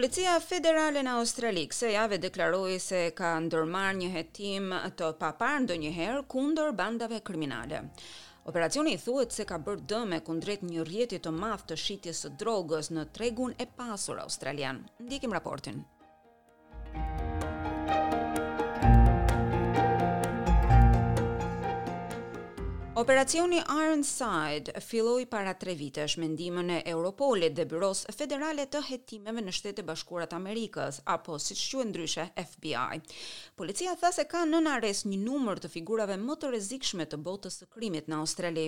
Policia Federale në Australi kësaj jave deklaroi se ka ndërmarrë një hetim të paparë ndonjëherë kundër bandave kriminale. Operacioni thuhet se ka bërë dëme kundrejt një rrjeti të madh të shitjes së drogës në tregun e pasur australian. Ndjekim raportin. Operacioni Ironside filloi para tre vitesh me ndihmën e Europolit dhe Byrosë Federale të Hetimeve në Shtetet e Bashkuara të Amerikës, apo siç quhet ndryshe FBI. Policia tha se ka nën arrest një numër të figurave më të rrezikshme të botës së krimit në Australi,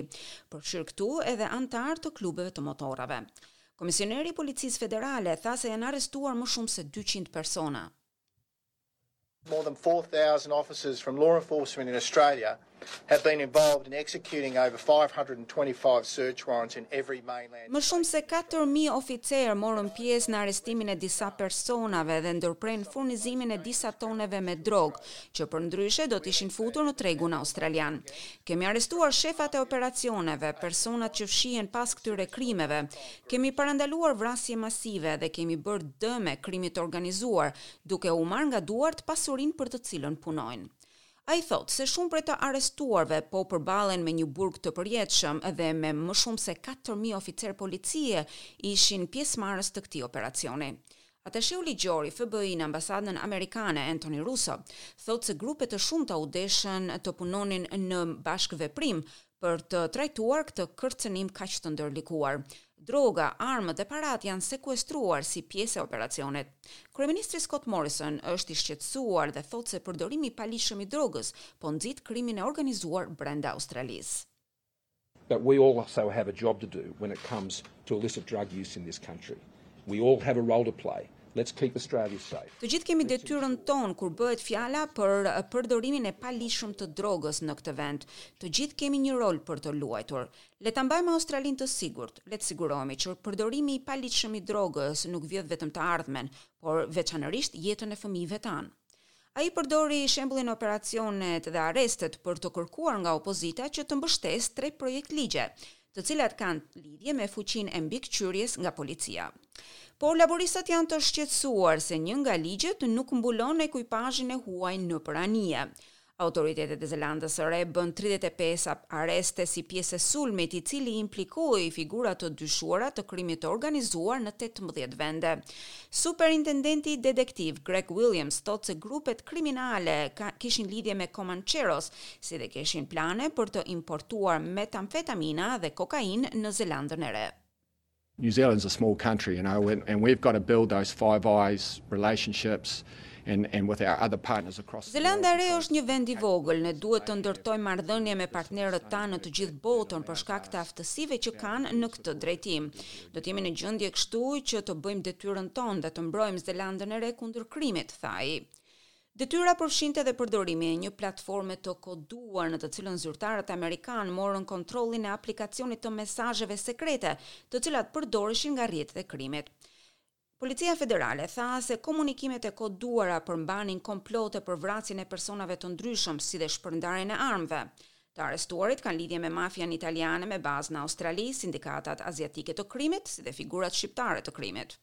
përfshirë këtu edhe anëtarë të klubeve të motorrave. Komisioneri i Policisë Federale tha se janë arrestuar më shumë se 200 persona. More than 4,000 officers from law enforcement in Australia have been involved in executing over 525 search warrants in every mainland. Më shumë se 4000 oficerë morën pjesë në arrestimin e disa personave dhe ndërprenë furnizimin e disa toneve me drogë, që përndryshe do të ishin futur në tregun australian. Kemi arrestuar shefat e operacioneve, personat që fshihen pas këtyre krimeve. Kemi parandaluar vrasje masive dhe kemi bërë dëme krimit të organizuar, duke u marrë nga duart pasurinë për të cilën punojnë. Ai thotë se shumë prej të arrestuarve po përballen me një burg të përjetshëm dhe me më shumë se 4000 oficerë policie ishin pjesëmarrës të këtij operacioni. Atasheu ligjor i FBI në ambasadën amerikane, Anthony Russo, thotë se grupe të shumta u deshën të punonin në bashkëveprim për të trajtuar këtë kërcënim kaq të ndërlikuar. Droga, armët dhe paratë janë sekuestruar si pjesë e operacionit. Kryeministri Scott Morrison është i shqetësuar dhe thotë se përdorimi i paligjshëm i drogës po nxit krimin e organizuar brenda Australisë. But we also have a job to do when it comes to illicit drug use in this country. We all have a role to play. Let's keep Australia safe. Të gjithë kemi detyrën tonë kur bëhet fjala për përdorimin e paligjshëm të drogës në këtë vend. Të gjithë kemi një rol për të luajtur. Le ta mbajmë Australinë të sigurt. Le të sigurohemi që përdorimi i paligjshëm i drogës nuk vjedh vetëm të ardhmen, por veçanërisht jetën e fëmijëve tanë. Ai përdori shembullin operacionet dhe arrestet për të kërkuar nga opozita që të mbështesë tre projektligje, të cilat kanë lidhje me fuqinë e mbikëqyrjes nga policia. Por laboristët janë të shqetësuar se një nga ligjet nuk mbulon ekuipazhin e huaj nëpër anije. Autoritetet e Zelandës së Re bënë 35 arreste si pjesë e sulmit, i cili implikoi figura të dyshuara të krimit të organizuar në 18 vende. Superintendenti detektiv Greg Williams thotë se grupet kriminale ka, kishin lidhje me Comancheros, si dhe kishin plane për të importuar metamfetamina dhe kokainë në Zelandën e Re. New Zealand's a small country, you know, and, and we've got to build those Five Eyes relationships and, and with our other partners across the world. Zelanda e Re është një vend i vogël, ne duhet të ndërtojmë marrëdhënie me partnerët tanë në të gjithë botën për shkak të aftësive që kanë në këtë drejtim. Do të jemi në gjendje kështu që të bëjmë detyrën tonë dhe të mbrojmë Zelandën e Re kundër krimit, tha ai. Detyra përfshinte edhe përdorimin e një platforme të koduar në të cilën zyrtarët amerikanë morën kontrollin e aplikacionit të mesazheve sekrete, të cilat përdoreshin nga rrjetet e krimit. Policia Federale tha se komunikimet e koduara përmbanin komplote për vrasjen e personave të ndryshëm, si dhe shpërndarjen e armëve. Të arrestuarit kanë lidhje me mafian italiane me bazë në Australi, sindikatat aziatike të krimit, si dhe figurat shqiptare të krimit.